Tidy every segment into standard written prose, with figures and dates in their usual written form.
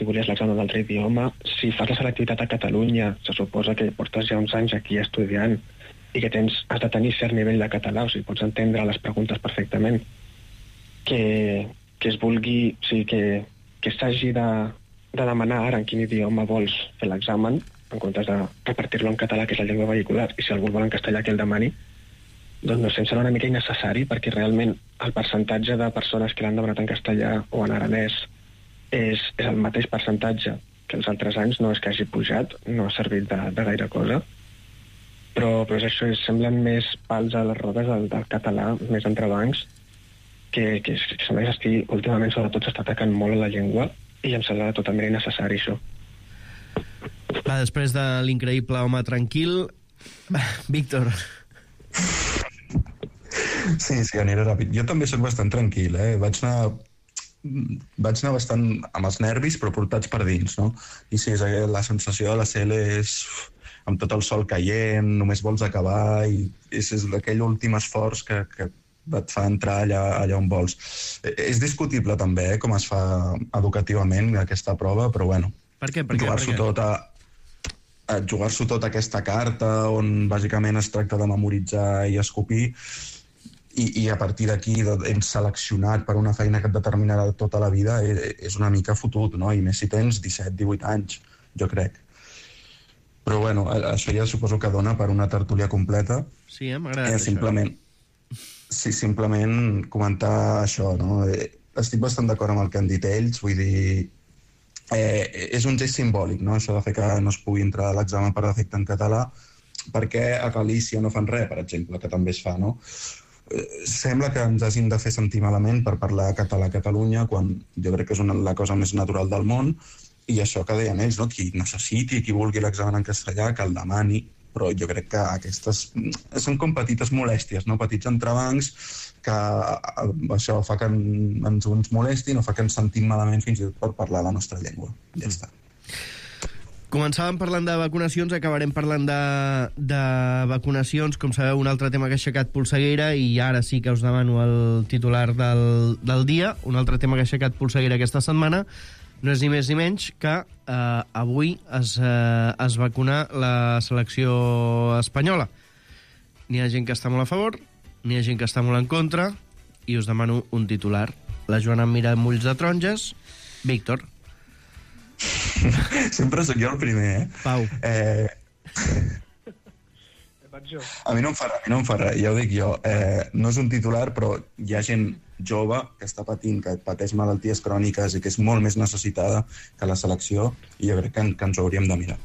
si volies l'examen d'altre idioma. Si fas la selectivitat a Catalunya, se suposa que portes ja uns anys aquí estudiant i que has de tenir cert nivell de català, o sigui, pots entendre les preguntes perfectament. Que es vulgui, o sigui, que s'hagi de demanar ara en quin idioma vols fer l'examen, en comptes de repartir-lo en català, que és la llengua vehicular, i si algú vol en castellà que el demani, doncs no sé, em sembla una mica innecessari, perquè realment el percentatge de persones que l'han demanat en castellà o en aranès és el mateix percentatge que els altres anys, no és que hagi pujat, no ha servit de gaire cosa, però és això, semblen més pals a les rodes del català, més entrebancs, que sembla que últimament sobretot s'està atacant molt a la llengua i em sembla totalment innecessari això. Va, després de l'increïble home tranquil, Víctor. Sí, aniré ràpid. Jo també soc bastant tranquil, Vaig anar bastant amb els nervis, però portats per dins, no? I sí, la sensació de la CL és amb tot el sol caient, només vols acabar, i és aquell últim esforç que et fa entrar allà on vols. És discutible també com es fa educativament aquesta prova, però bueno, per què? Jugar-s'ho tot a aquesta carta on bàsicament es tracta de memoritzar i escopir, i a partir d'aquí ets seleccionat per una feina que et determinarà tota la vida, és una mica fotut, no? I més si tens 17-18 anys, jo crec. Però bueno, això ja suposo que dona per una tertúlia completa. Sí, m'agrada simplement comentar això, no? Estic bastant d'acord amb el que han dit ells, vull dir, és un gest simbòlic, no? Això de fer que no es pugui entrar a l'examen per defecte en català, perquè a Galícia no fan res, per exemple, que també es fa, no? Sembla que ens hagin de fer sentir malament per parlar català a Catalunya, quan jo crec que és la cosa més natural del món, i això que deien ells, no? Qui necessiti, qui vulgui l'examen en castellà, que el demani, però jo crec que aquestes són com petites molèsties, no? Petits entrebancs que això fa que ens molestin o fa que ens sentim malament fins i tot per parlar la nostra llengua. Ja està. Començàvem parlant de vacunacions, acabarem parlant de vacunacions. Com sabeu, un altre tema que ha aixecat polseguera, i ara sí que us demano el titular del dia. Un altre tema que ha aixecat polseguera aquesta setmana no és ni més ni menys que avui es vacuna la selecció espanyola. N'hi ha gent que està molt a favor, n'hi ha gent que està molt en contra, i us demano un titular. La Joana em mira amb ulls de taronges. Víctor. Sempre sóc jo el primer, Pau. A mi no em fa res, ja ho dic jo. No és un titular, però hi ha gent jove que està patint, que pateix malalties cròniques i que és molt més necessitada que la selecció, i jo crec que ens ho hauríem de mirar.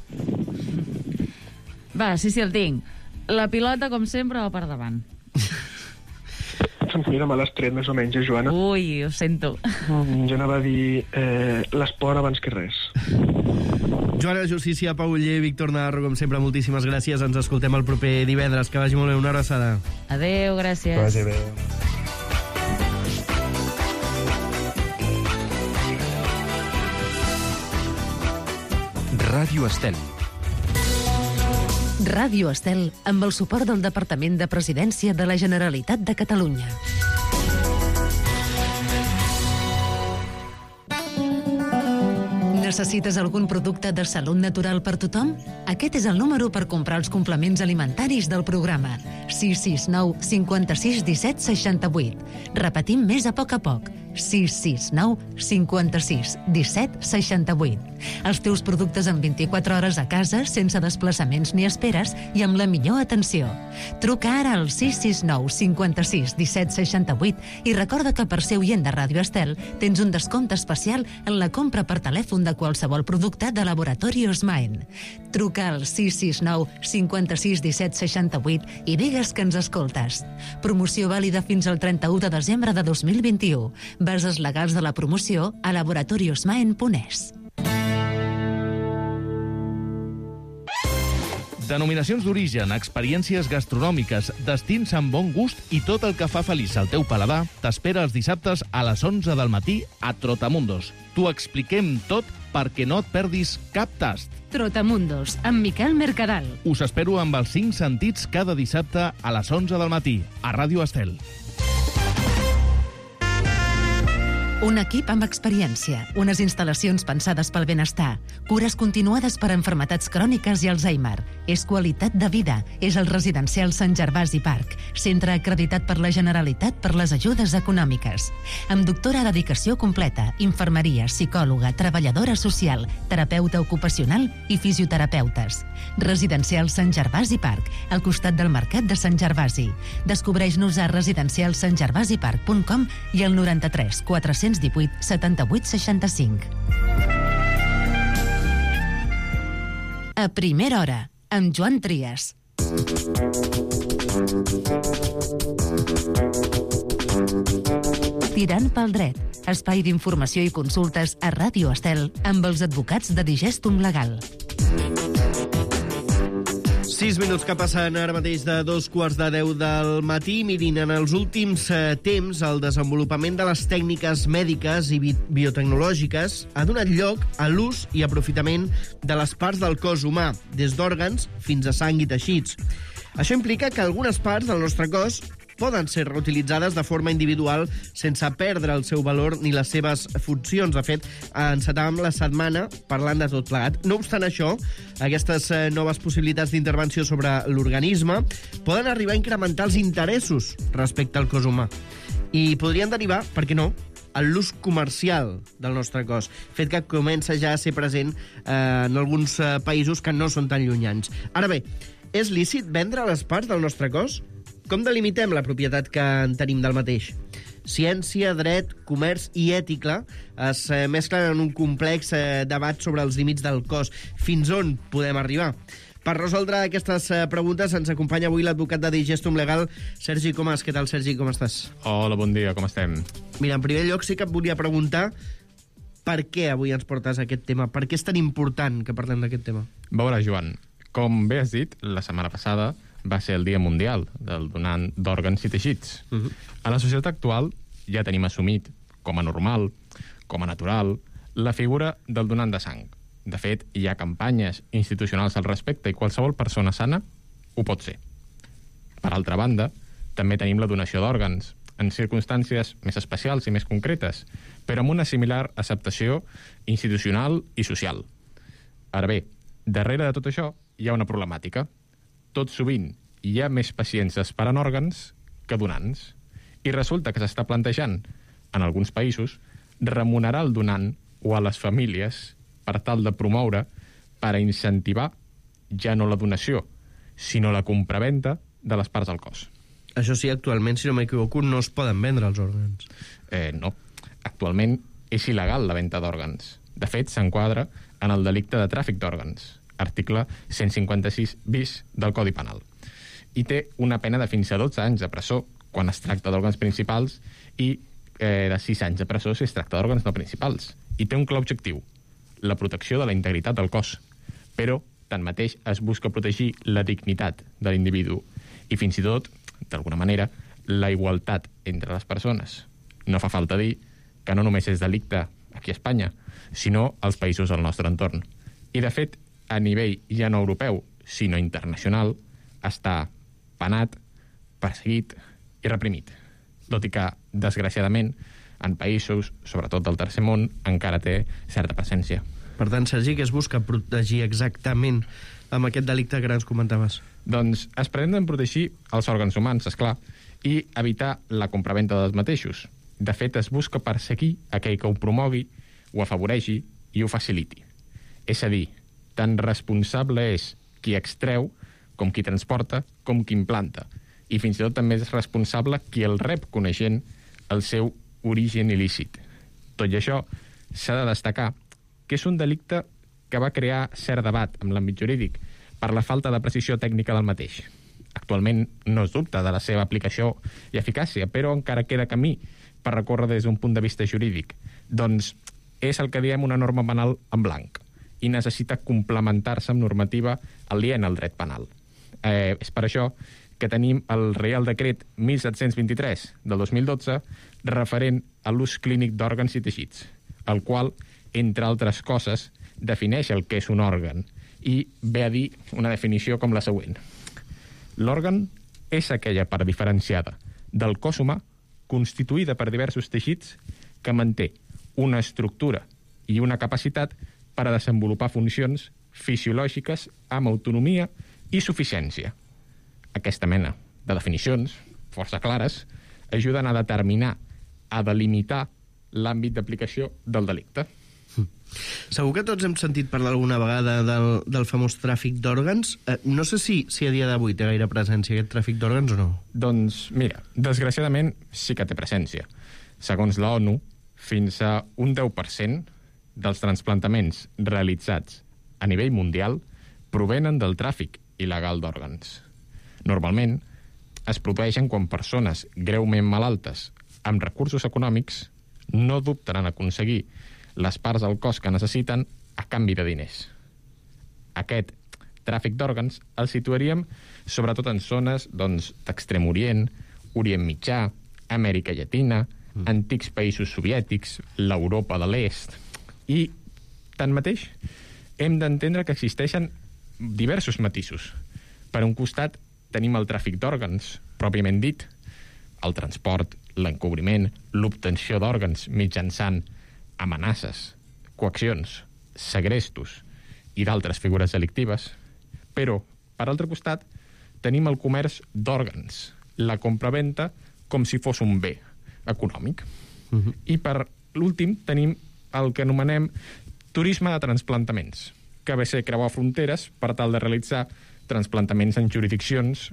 Va, sí, el tinc. La pilota, com sempre, va per davant. Mira, me l'has tret més o menys, Joana? Ui, ho sento. Jo anava a dir l'esport abans que res. Joana Justícia, Pau Oller, Víctor Navarro, com sempre, moltíssimes gràcies. Ens escoltem el proper divendres. Que vagi molt bé. Una abraçada. Adéu, gràcies. Que vagi bé. Ràdio Estel. Ràdio Estel, amb el suport del Departament de Presidència de la Generalitat de Catalunya. Necessites algun producte de salut natural per tothom? Aquest és el número per comprar els complements alimentaris del programa. 669 56 17 68. Repetim més a poc. 669 56 17 68. Els teus productes en 24 hores a casa, sense desplaçaments ni esperes i amb la millor atenció. Truca ara al 669 56 17 68 i recorda que per ser oient de Ràdio Estel tens un descompte especial en la compra per telèfon de qualsevol producte de Laboratori Osmaen. Truca al 669 56 17 68 i digues que ens escoltes. Promoció vàlida fins al 31 de desembre de 2021. Bases legals de la promoció a laboratoriosmaen.es. Denominacions d'origen, experiències gastronòmiques, destins amb bon gust i tot el que fa feliç el teu paladar t'espera els dissabtes a les 11 del matí a Trotamundos. T'ho expliquem tot perquè no et perdis cap tast. Trotamundos, amb Miquel Mercadal. Us espero amb els 5 sentits cada dissabte a les 11 del matí a Ràdio Estel. Un equip amb experiència, unes instal·lacions pensades pel benestar, cures continuades per a malalties cròniques i Alzheimer. És qualitat de vida. És el residencial Sant Gervasi Park, centre acreditat per la Generalitat per les ajudes econòmiques. Amb doctora dedicació completa, infermeria, psicòloga, treballadora social, terapeuta ocupacional i fisioterapeutes. Residencial Sant Gervasi Park, al costat del Mercat de Sant Gervasi. Descobreix-nos a residencialsantgervasipark.com i al 93 418 78 65. A primera hora, amb Joan Trias. Tirant pel dret, espai d'informació i consultes a Ràdio Estel amb els advocats de Digestum Legal. 6 minuts que passen ara mateix de 2:15 del matí. Mirin, en els últims temps, el desenvolupament de les tècniques mèdiques i biotecnològiques ha donat lloc a l'ús i aprofitament de les parts del cos humà, des d'òrgans fins a sang i teixits. Això implica que algunes parts del nostre cos poden ser reutilitzades de forma individual sense perdre el seu valor ni les seves funcions. De fet, encetàvem la setmana parlant de tot plegat. No obstant això, aquestes noves possibilitats d'intervenció sobre l'organisme poden arribar a incrementar els interessos respecte al cos humà i podrien derivar, per què no, en l'ús comercial del nostre cos, fet que comença ja a ser present en alguns països que no són tan llunyans. Ara bé, és lícit vendre les parts del nostre cos? Com delimitem la propietat que en tenim del mateix? Ciència, dret, comerç i ètica es mesclen en un complex debat sobre els límits del cos. Fins on podem arribar? Per resoldre aquestes preguntes ens acompanya avui l'advocat de Digestum Legal, Sergi Comas. Què tal, Sergi? Com estàs? Hola, bon dia, com estem? Mira, en primer lloc sí que et volia preguntar per què avui ens portes aquest tema? Per què és tan important que parlem d'aquest tema? A veure, Joan, com bé has dit, la setmana passada va ser el Dia Mundial del donant d'òrgans i teixits. A la societat actual ja tenim assumit com a normal, com a natural, la figura del donant de sang. De fet, hi ha campanyes institucionals al respecte i qualsevol persona sana ho pot ser. Per altra banda, també tenim la donació d'òrgans, en circumstàncies més especials i més concretes, però amb una similar acceptació institucional i social. Ara bé, darrere de tot això hi ha una problemàtica. Tot sovint hi ha més pacients esperant òrgans que donants. I resulta que s'està plantejant, en alguns països, remunerar el donant o a les famílies per tal de promoure, per a incentivar ja no la donació, sinó la compravenda de les parts del cos. Això sí, actualment, si no m'equivoco, no es poden vendre els òrgans. No. Actualment és il·legal la venda d'òrgans. De fet, s'enquadra en el delicte de tràfic d'òrgans, article 156 bis del Codi Penal. I té una pena de fins a 12 anys de presó quan es tracta d'òrgans principals i de 6 anys de presó si es tracta d'òrgans no principals. I té un clar objectiu, la protecció de la integritat del cos. Però, tanmateix, es busca protegir la dignitat de l'individu i fins i tot, d'alguna manera, la igualtat entre les persones. No fa falta dir que no només és delicte aquí a Espanya, sinó als països del nostre entorn. I, de fet, a nivell ja no europeu, sinó internacional, està penat, perseguit i reprimit. Tot i que, desgraciadament, en països, sobretot del tercer món, encara té certa presència. Per tant, Sergi, què es busca protegir exactament amb aquest delicte que ara ens comentaves? Doncs es pretenen protegir els òrgans humans, esclar, i evitar la compraventa dels mateixos. De fet, es busca perseguir aquell que ho promogui, ho afavoreixi i ho faciliti. És a dir, tan responsable és qui extreu com qui transporta, com qui implanta. I fins i tot també és responsable qui el rep coneixent el seu origen il·lícit. Tot i això, s'ha de destacar que és un delicte que va crear cert debat amb l'àmbit jurídic per la falta de precisió tècnica del mateix. Actualment no es dubta de la seva aplicació i eficàcia, però encara queda camí per recórrer des d'un punt de vista jurídic. Doncs és el que diem una norma penal en blanc i necessita complementar-se amb normativa aliena al dret penal. És per això que tenim el Reial Decret 1723 del 2012 referent a l'ús clínic d'òrgans i teixits, el qual, entre altres coses, defineix el que és un òrgan i ve a dir una definició com la següent. L'òrgan és aquella part diferenciada del cos humà constituïda per diversos teixits que manté una estructura i una capacitat per a desenvolupar funcions fisiològiques amb autonomia i suficiència. Aquesta mena de definicions, força clares, ajuden a determinar, a delimitar l'àmbit d'aplicació del delicte. Segur que tots hem sentit parlar alguna vegada del famós tràfic d'òrgans. No sé si a dia d'avui té gaire presència aquest tràfic d'òrgans o no. Doncs, mira, desgraciadament sí que té presència. Segons l'ONU, fins a un 10% dels transplantaments realitzats a nivell mundial provenen del tràfic il·legal d'òrgans. Normalment, es produeixen quan persones greument malaltes amb recursos econòmics no dubten en aconseguir les parts del cos que necessiten a canvi de diners. Aquest tràfic d'òrgans el situaríem sobretot en zones d'Extrem Orient, Orient Mitjà, Amèrica Llatina, antics països soviètics, l'Europa de l'Est. I, tanmateix, hem d'entendre que existeixen diversos matisos. Per un costat, tenim el tràfic d'òrgans, pròpiament dit, el transport, l'encobriment, l'obtenció d'òrgans mitjançant amenaces, coaccions, segrestos i d'altres figures delictives. Però, per altre costat, tenim el comerç d'òrgans, la compraventa com si fos un bé econòmic. I per l'últim tenim el que anomenem turisme de transplantaments, que ve a ser creuar fronteres per tal de realitzar transplantaments en jurisdiccions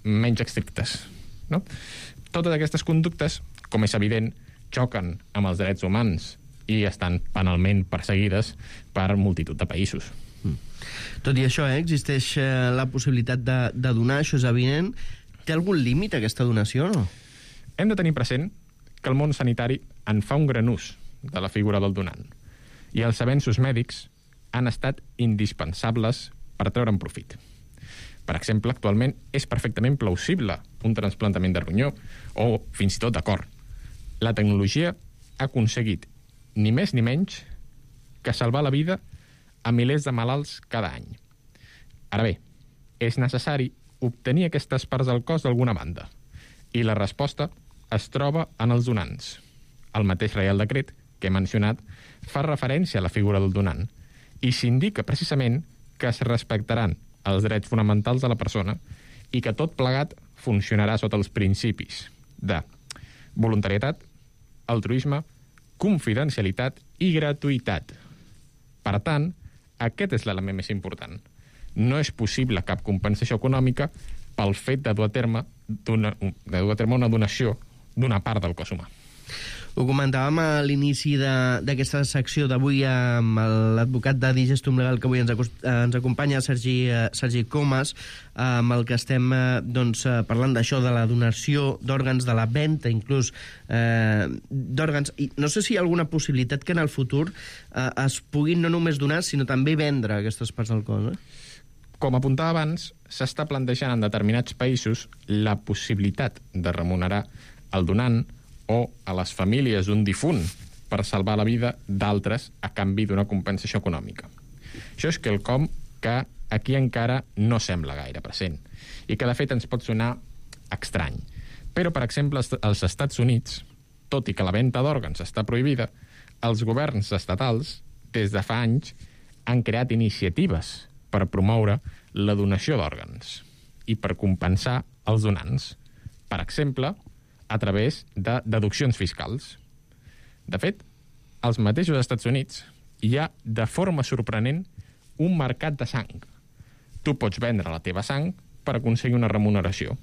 menys estrictes. No? Totes aquestes conductes, com és evident, xoquen amb els drets humans i estan penalment perseguides per multitud de països. Tot i això, existeix la possibilitat de donar, això és evident. Té algun límit aquesta donació o no? Hem de tenir present que el món sanitari en fa un gran ús de la figura del donant i els avenços mèdics han estat indispensables per treure'n profit. Per exemple, actualment és perfectament plausible un trasplantament de ronyó o fins i tot de cor. La tecnologia ha aconseguit ni més ni menys que salvar la vida a milers de malalts cada any. Ara bé, és necessari obtenir aquestes parts del cos d'alguna banda i la resposta es troba en els donants. El mateix Reial Decret que he mencionat fa referència a la figura del donant i s'indica precisament que es respectaran els drets fonamentals de la persona i que tot plegat funcionarà sota els principis de voluntarietat, altruisme, confidencialitat i gratuïtat. Per tant, aquest és l'element més important. No és possible cap compensació econòmica pel fet de dur a terme una donació d'una part del cos humà. Ho comentàvem a l'inici d'aquesta secció d'avui amb l'advocat de Digestum Legal que avui ens acompanya, Sergi Comas, amb el que estem parlant d'això, de la donació d'òrgans, de la venda inclús d'òrgans. I no sé si hi ha alguna possibilitat que en el futur es puguin no només donar, sinó també vendre aquestes parts del cos. Com apuntava abans, s'està plantejant en determinats països la possibilitat de remunerar el donant o a les famílies d'un difunt per salvar la vida d'altres a canvi d'una compensació econòmica. Això és quelcom que aquí encara no sembla gaire present i que de fet ens pot sonar estrany. Però, per exemple, als Estats Units, tot i que la venda d'òrgans està prohibida, els governs estatals, des de fa anys, han creat iniciatives per promoure la donació d'òrgans i per compensar els donants. Per exemple, a través de deduccions fiscals. De fet, als mateixos Estats Units hi ha, de forma sorprenent, un mercat de sang. Tu pots vendre la teva sang per aconseguir una remuneració.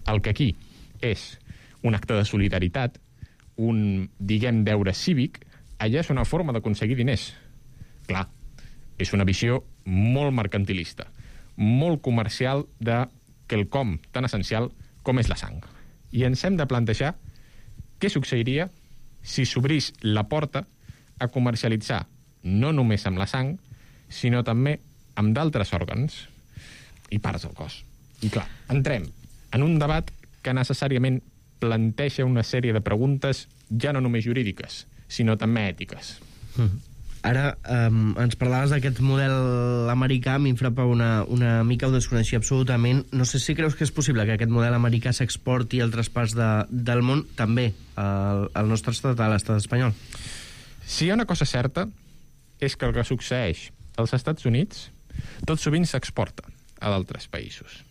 El que aquí és un acte de solidaritat, un, deure cívic, allà és una forma d'aconseguir diners. Clar, és una visió molt mercantilista, molt comercial de quelcom tan essencial com és la sang. I ens hem de plantejar què succeiria si s'obrís la porta a comercialitzar no només amb la sang, sinó també amb d'altres òrgans i parts del cos. I clar, entrem en un debat que necessàriament planteja una sèrie de preguntes ja no només jurídiques, sinó també ètiques. Ara, ens parlaves d'aquest model americà, a mi em frapa una mica, ho desconeixia absolutament. No sé si creus que és possible que aquest model americà s'exporti a altres parts del món, també al nostre estat, a l'estat espanyol. Si hi ha una cosa certa, és que el que succeeix als Estats Units tot sovint s'exporta a d'altres països.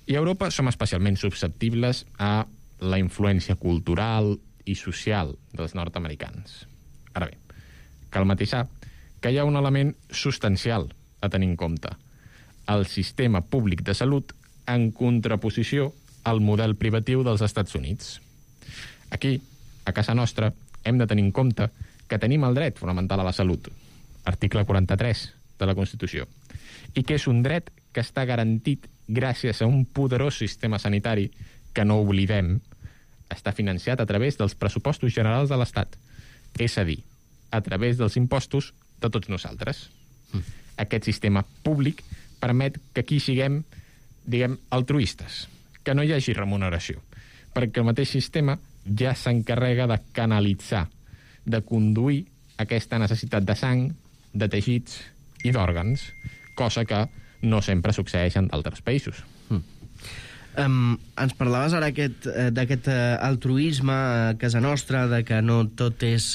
I a Europa som especialment susceptibles a la influència cultural i social dels nord-americans. Ara bé, cal matisar que hi ha un element substancial a tenir en compte: el sistema públic de salut en contraposició al model privatiu dels Estats Units. Aquí, a casa nostra, hem de tenir en compte que tenim el dret fonamental a la salut, article 43 de la Constitució, i que és un dret que està garantit gràcies a un poderós sistema sanitari que, no oblidem, està financiat a través dels pressupostos generals de l'Estat, és a dir, a través dels impostos de tots nosaltres. Aquest sistema públic permet que aquí siguem, diguem, altruistes, que no hi hagi remuneració, perquè el mateix sistema ja s'encarrega de canalitzar, de conduir aquesta necessitat de sang, de teixits i d'òrgans, cosa que no sempre succeeix en d'altres països. Ens parlaves ara d'aquest altruisme a casa nostra, de que no tot és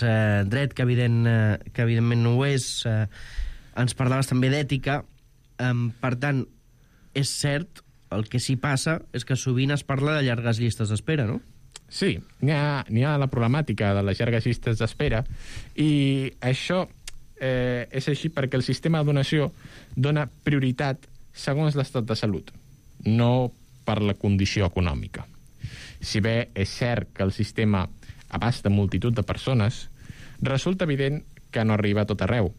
dret, que evidentment no ho és. Ens parlaves també d'ètica. Per tant, és cert, el que s'hi passa és que sovint es parla de llargues llistes d'espera, no? Sí, n'hi ha la problemàtica de les llargues llistes d'espera, i això és així perquè el sistema de donació dona prioritat segons l'estat de salut, no per la condició econòmica. Si bé és cert que el sistema abasta multitud de persones, resulta evident que no arriba a tot arreu,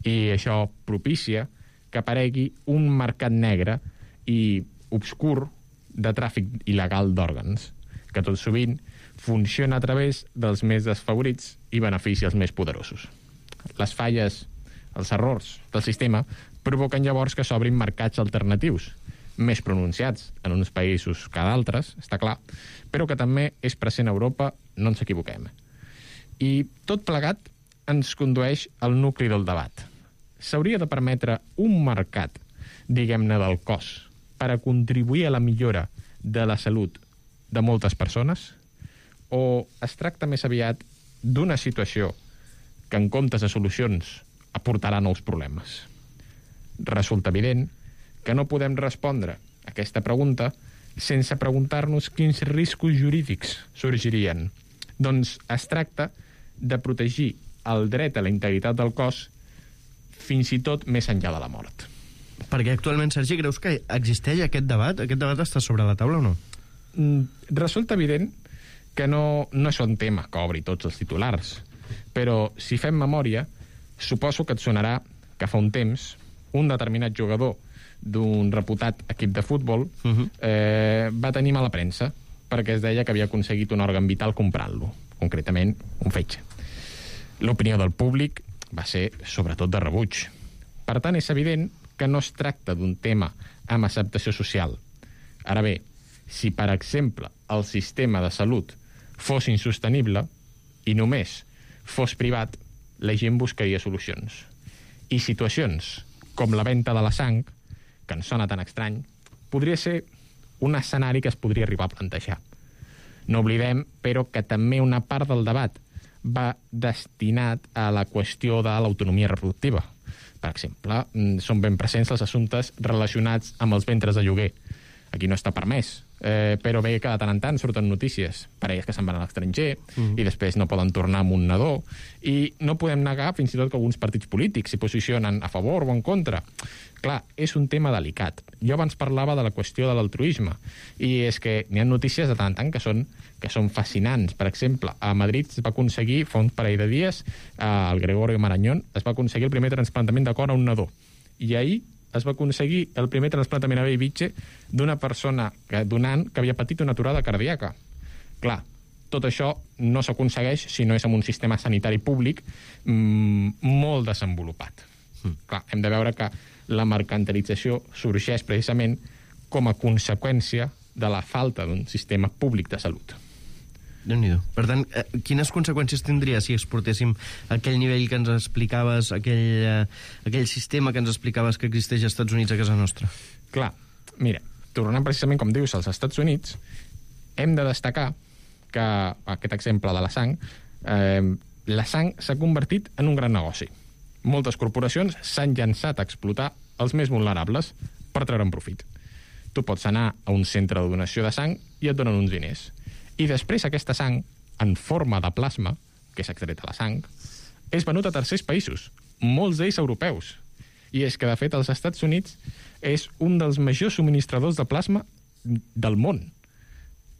i això propicia que aparegui un mercat negre i obscur de tràfic il·legal d'òrgans, que tot sovint funciona a través dels més desfavorits i beneficia els més poderosos. Les falles, els errors del sistema provoquen llavors que s'obrin mercats alternatius, més pronunciats en uns països que d'altres, està clar, però que també és present a Europa, no ens equivoquem. I tot plegat ens condueix al nucli del debat. S'hauria de permetre un mercat, diguem-ne, del cos, per a contribuir a la millora de la salut de moltes persones? O es tracta més aviat d'una situació que, en comptes de solucions, aportarà nous problemes? Resulta evident que no podem respondre a aquesta pregunta sense preguntar-nos quins riscos jurídics sorgirien. Doncs es tracta de protegir el dret a la integritat del cos fins i tot més enllà de la mort. Perquè actualment, Sergi, creus que existeix aquest debat? Aquest debat està sobre la taula o no? Resulta evident que no és un tema que obri tots els titulars, però si fem memòria, suposo que et sonarà que fa un temps un determinat jugador d'un reputat equip de futbol va tenir mala premsa perquè es deia que havia aconseguit un òrgan vital comprant-lo, concretament un fetge. L'opinió del públic va ser sobretot de rebuig. Per tant, és evident que no es tracta d'un tema amb acceptació social. Ara bé, si, per exemple, el sistema de salut fos insostenible i només fos privat, la gent buscaria solucions. I situacions com la venda de la sang, que ens sona tan estrany, podria ser un escenari que es podria arribar a plantejar. No oblidem, però, que també una part del debat va destinat a la qüestió de l'autonomia reproductiva. Per exemple, són ben presents els assumptes relacionats amb els ventres de lloguer. Aquí no està permès, però bé que de tant en tant surten notícies, parelles que se'n van a l'estranger i després no poden tornar amb un nadó, i no podem negar fins i tot que alguns partits polítics s'hi posicionen a favor o en contra. Clar, és un tema delicat. Jo abans parlava de la qüestió de l'altruisme, i és que n'hi ha notícies de tant en tant que són fascinants. Per exemple, a Madrid es va aconseguir, fa un parell de dies, al Gregorio Marañón, es va aconseguir el primer trasplantament de cor a un nadó. I ahir es va aconseguir el primer trasplantament a Bellvitge d'una persona donant que havia patit una aturada cardíaca. Clar, tot això no s'aconsegueix si no és amb un sistema sanitari públic molt desenvolupat. Clar, hem de veure que la mercantilització sorgeix precisament com a conseqüència de la falta d'un sistema públic de salut. Déu-n'hi-do. Per tant, quines conseqüències tindria si exportéssim aquell nivell que ens explicaves, aquell sistema que ens explicaves que existeix als Estats Units a casa nostra? Clar, mira, tornant precisament, com dius, als Estats Units, hem de destacar que, aquest exemple de la sang s'ha convertit en un gran negoci. Moltes corporacions s'han llançat a explotar els més vulnerables per treure'n profit. Tu pots anar a un centre de donació de sang i et donen uns diners. I després aquesta sang, en forma de plasma, que és extret a la sang, és venut a tercers països, molts d'ells europeus. I és que, de fet, els Estats Units és un dels majors subministradors de plasma del món.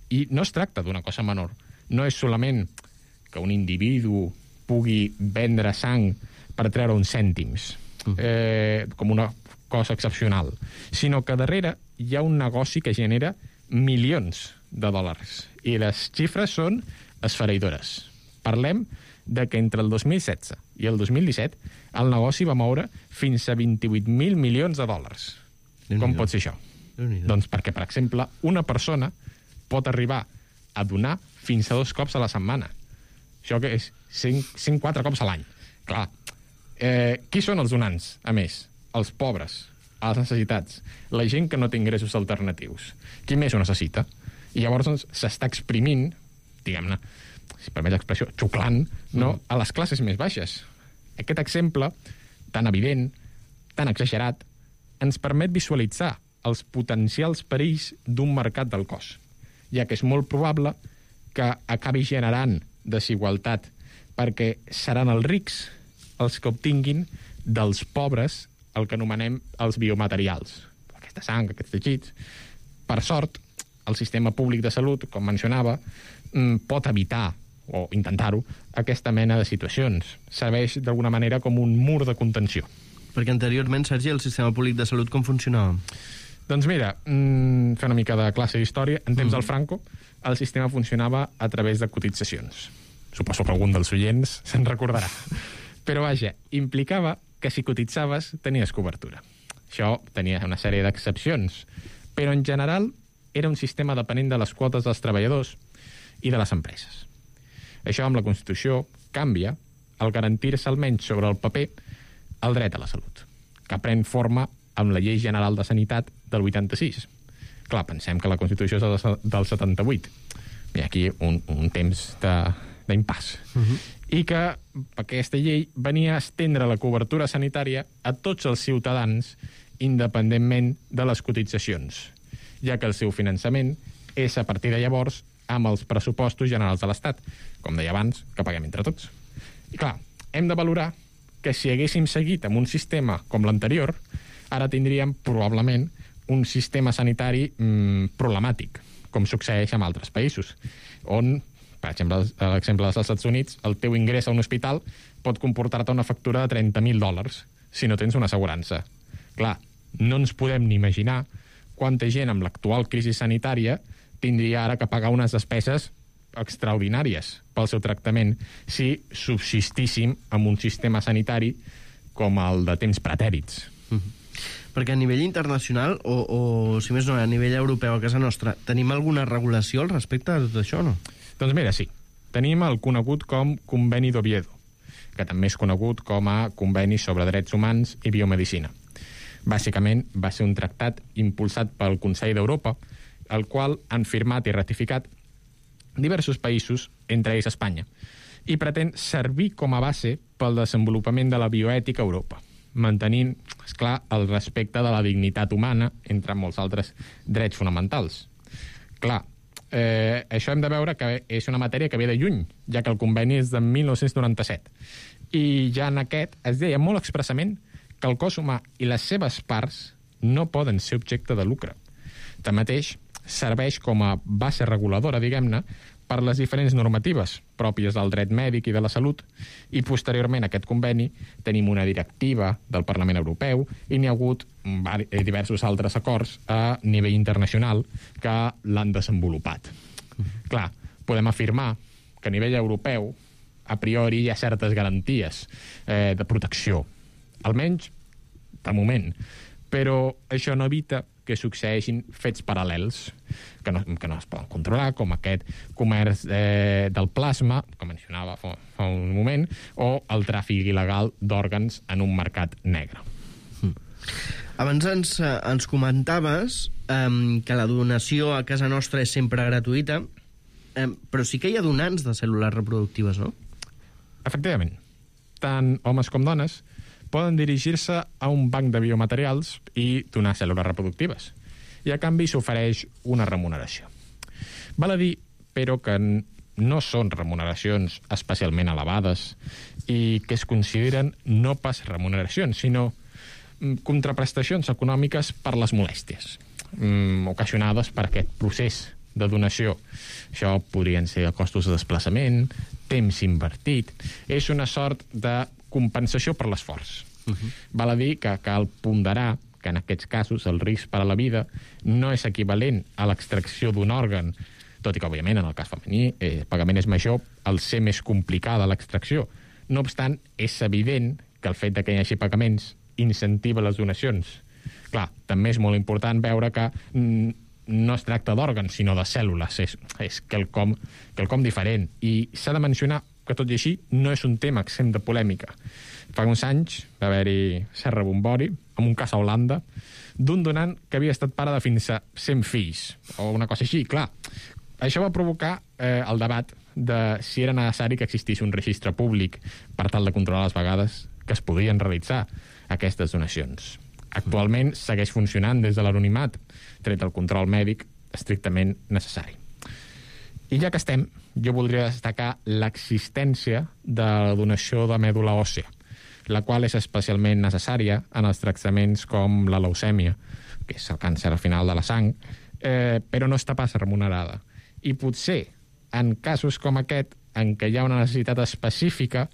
I no es tracta d'una cosa menor. No és solament que un individu pugui vendre sang per treure uns cèntims, com una cosa excepcional, sinó que darrere hi ha un negoci que genera milions de dòlars. I les xifres són esfereïdores. Parlem de que entre el 2016 i el 2017 el negoci va moure fins a 28.000 milions de dòlars. Com pot ser això? Doncs perquè, per exemple, una persona pot arribar a donar fins a 2 cops a la setmana. Això que és 104 cops a l'any. Clar, qui són els donants, a més? Els pobres, els necessitats, la gent que no té ingressos alternatius. Qui més ho necessita? I llavors doncs, s'està exprimint, diguem-ne, si permet l'expressió, xuclant, no, a les classes més baixes. Aquest exemple, tan evident, tan exagerat, ens permet visualitzar els potencials perills d'un mercat del cos, ja que és molt probable que acabi generant desigualtat, perquè seran els rics els que obtinguin dels pobres el que anomenem els biomaterials. Aquesta sang, aquests teixits. Per sort, el sistema públic de salut, com mencionava, pot evitar, o intentar-ho, aquesta mena de situacions. Serveix d'alguna manera com un mur de contenció. Perquè anteriorment, Sergi, el sistema públic de salut com funcionava? Doncs mira, fer una mica de classe d'història, en temps del Franco, el sistema funcionava a través de cotitzacions. Suposo que algun dels oients se'n recordarà. Però vaja, implicava que si cotitzaves tenies cobertura. Això tenia una sèrie d'excepcions, però en general era un sistema depenent de les quotes dels treballadors i de les empreses. Això amb la Constitució canvia al garantir-se almenys sobre el paper el dret a la salut, que pren forma amb la Llei General de Sanitat del 86. Clar, pensem que la Constitució és del 78. Hi ha aquí un temps d'impàs. I que aquesta llei venia a estendre la cobertura sanitària a tots els ciutadans independentment de les cotitzacions, ja que el seu finançament és a partir de llavors amb els pressupostos generals de l'Estat, com deia abans, que paguem entre tots. I clar, hem de valorar que si haguéssim seguit amb un sistema com l'anterior, ara tindríem probablement un sistema sanitari problemàtic, com succeeix en altres països, on, per exemple, a l'exemple dels Estats Units, el teu ingrés a un hospital pot comportar-te una factura de $30.000 si no tens una assegurança. Clar, no ens podem ni imaginar quanta gent amb l'actual crisi sanitària tindria ara que pagar unes despeses extraordinàries pel seu tractament si subsistíssim en un sistema sanitari com el de temps pretèrits. Perquè a nivell internacional, o si més no, a nivell europeu, a casa nostra, tenim alguna regulació al respecte de tot això, no? Doncs mira, sí. Tenim el conegut com Conveni d'Oviedo, que també és conegut com a Conveni sobre Drets Humans i Biomedicina. Bàsicament, va ser un tractat impulsat pel Consell d'Europa, el qual han firmat i ratificat diversos països, entre ells Espanya, i pretén servir com a base pel desenvolupament de la bioètica a Europa, mantenint, esclar, el respecte de la dignitat humana, entre molts altres drets fonamentals. Clar, això hem de veure que és una matèria que ve de lluny, ja que el conveni és de 1997. I ja en aquest es deia molt expressament que el cos humà i les seves parts no poden ser objecte de lucre. Tanmateix, serveix com a base reguladora, diguem-ne, per les diferents normatives pròpies del dret mèdic i de la salut, i posteriorment a aquest conveni tenim una directiva del Parlament Europeu i n'hi ha hagut diversos altres acords a nivell internacional que l'han desenvolupat. Clar, podem afirmar que a nivell europeu a priori hi ha certes garanties de protecció, almenys de moment, però això no evita que succeeixin fets paral·lels que no es poden controlar, com aquest comerç del plasma, que mencionava fa un moment, o el tràfic il·legal d'òrgans en un mercat negre. Abans ens comentaves que la donació a casa nostra és sempre gratuïta, però sí que hi ha donants de cèl·lules reproductives, no? Efectivament. Tant homes com dones poden dirigir-se a un banc de biomaterials i donar cèl·lules reproductives. I a canvi s'ofereix una remuneració. Val a dir, però, que no són remuneracions especialment elevades i que es consideren no pas remuneracions, sinó contraprestacions econòmiques per les molèsties ocasionades per aquest procés de donació. Això podrien ser costos de desplaçament, temps invertit. És una sort de compensació per l'esforç. Val a dir que cal ponderar que en aquests casos el risc per a la vida no és equivalent a l'extracció d'un òrgan, tot i que, òbviament, en el cas femení, el pagament és major al ser més complicada l'extracció. No obstant, és evident que el fet que hi hagi pagaments incentiva les donacions. Clar, també és molt important veure que no es tracta d'òrgans, sinó de cèl·lules. És quelcom diferent. I s'ha de mencionar que, tot i així, no és un tema exempt de polèmica. Fa uns anys va haver-hi cert rebombori, en un cas a Holanda, d'un donant que havia estat pare de fins a 100 fills, o una cosa així. Clar, això va provocar el debat de si era necessari que existís un registre públic per tal de controlar les vegades que es podien realitzar aquestes donacions. Actualment segueix funcionant des de l'anonimat, tret del control mèdic estrictament necessari. I ja que estem, jo voldria destacar l'existència de la donació de mèdula òssea, la qual és especialment necessària en els tractaments com la leucèmia, que és el càncer al final de la sang, però no està pas remunerada. I potser, en casos com aquest, en què hi ha una necessitat específica,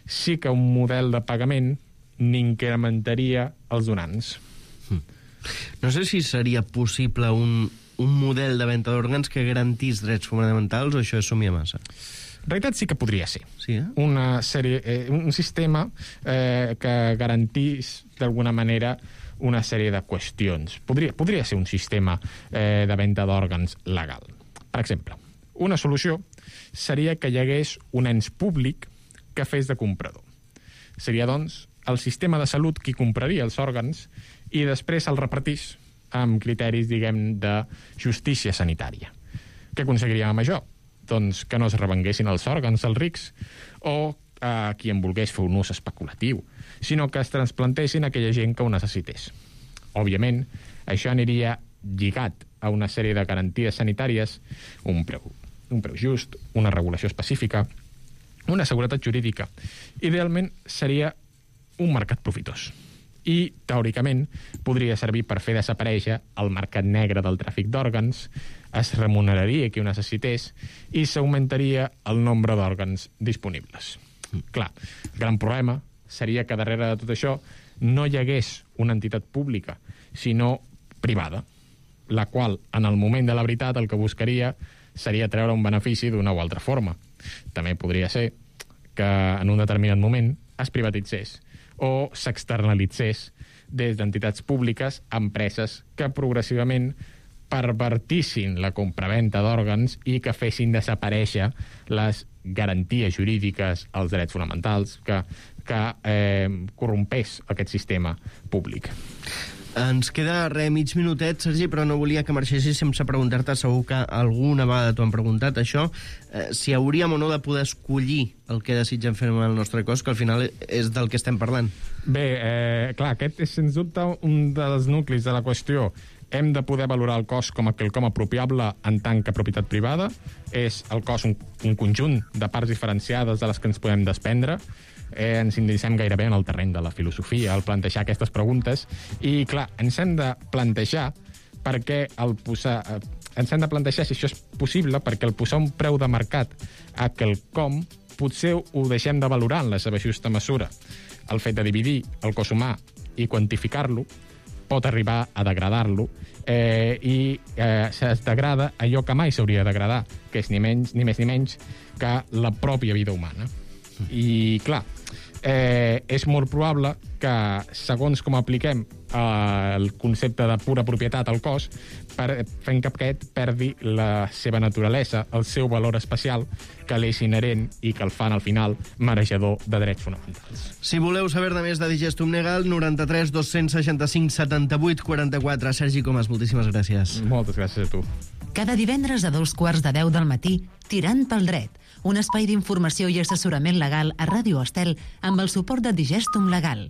sí que un model de pagament n'incrementaria els donants. No sé si seria possible un model de venda d'òrgans que garantís drets fonamentals, o això és somia massa? En realitat sí que podria ser. Sí, Un sistema que garantís d'alguna manera una sèrie de qüestions. Podria ser un sistema de venda d'òrgans legal. Per exemple, una solució seria que hi hagués un ens públic que fes de comprador. Seria, doncs, el sistema de salut qui compraria els òrgans i després el repartís amb criteris, diguem, de justícia sanitària. Què aconseguiríem amb això? Doncs que no es revenguessin els òrgans als rics o a qui en volgués fer un ús especulatiu, sinó que es transplantessin a aquella gent que ho necessités. Òbviament, això aniria lligat a una sèrie de garanties sanitàries, un preu just, una regulació específica, una seguretat jurídica. Idealment seria un mercat profitós. I, teòricament, podria servir per fer desaparèixer el mercat negre del tràfic d'òrgans, es remuneraria qui ho necessités i s'augmentaria el nombre d'òrgans disponibles. Clar, el gran problema seria que darrere de tot això no hi hagués una entitat pública, sinó privada, la qual, en el moment de la veritat, el que buscaria seria treure un benefici d'una o altra forma. També podria ser que en un determinat moment es privatitzés o s'externalitzés des d'entitats públiques a empreses que progressivament pervertissin la compraventa d'òrgans i que fessin desaparèixer les garanties jurídiques als drets fonamentals, que corrompés aquest sistema públic. Ens queda mig minutet, Sergi, però no volia que marxessis sense preguntar-te, segur que alguna vegada t'ho han preguntat, això, si hauríem o no de poder escollir el que desitgem fer amb el nostre cos, que al final és del que estem parlant. Bé, clar, aquest és sens dubte un dels nuclis de la qüestió. Hem de poder valorar el cos com a quelcom apropiable en tant que propietat privada. És el cos un conjunt de parts diferenciades de les que ens podem desprendre. Ens indicem gairebé en el terreny de la filosofia al plantejar aquestes preguntes i, clar, ens hem de plantejar ens hem de plantejar si això és possible, perquè el posar un preu de mercat a quelcom potser ho deixem de valorar en la seva justa mesura. El fet de dividir el cos humà i quantificar-lo pot arribar a degradar-lo i es degrada allò que mai s'hauria de degradar, que és ni més ni menys que la pròpia vida humana. I, clar, és molt probable que, segons com apliquem el concepte de pura propietat al cos, fent que aquest perdi la seva naturalesa, el seu valor especial, que l'és inherent i que el fan, al final, mereixedor de drets fonamentals. Si voleu saber-ne més de Digestum Legal, 93 265 78 44. Sergi Comas, moltíssimes gràcies. Moltes gràcies a tu. Cada divendres a 2:15 del matí, Tirant pel dret, un espai d'informació i assessorament legal a Ràdio Estel amb el suport de Digestum Legal.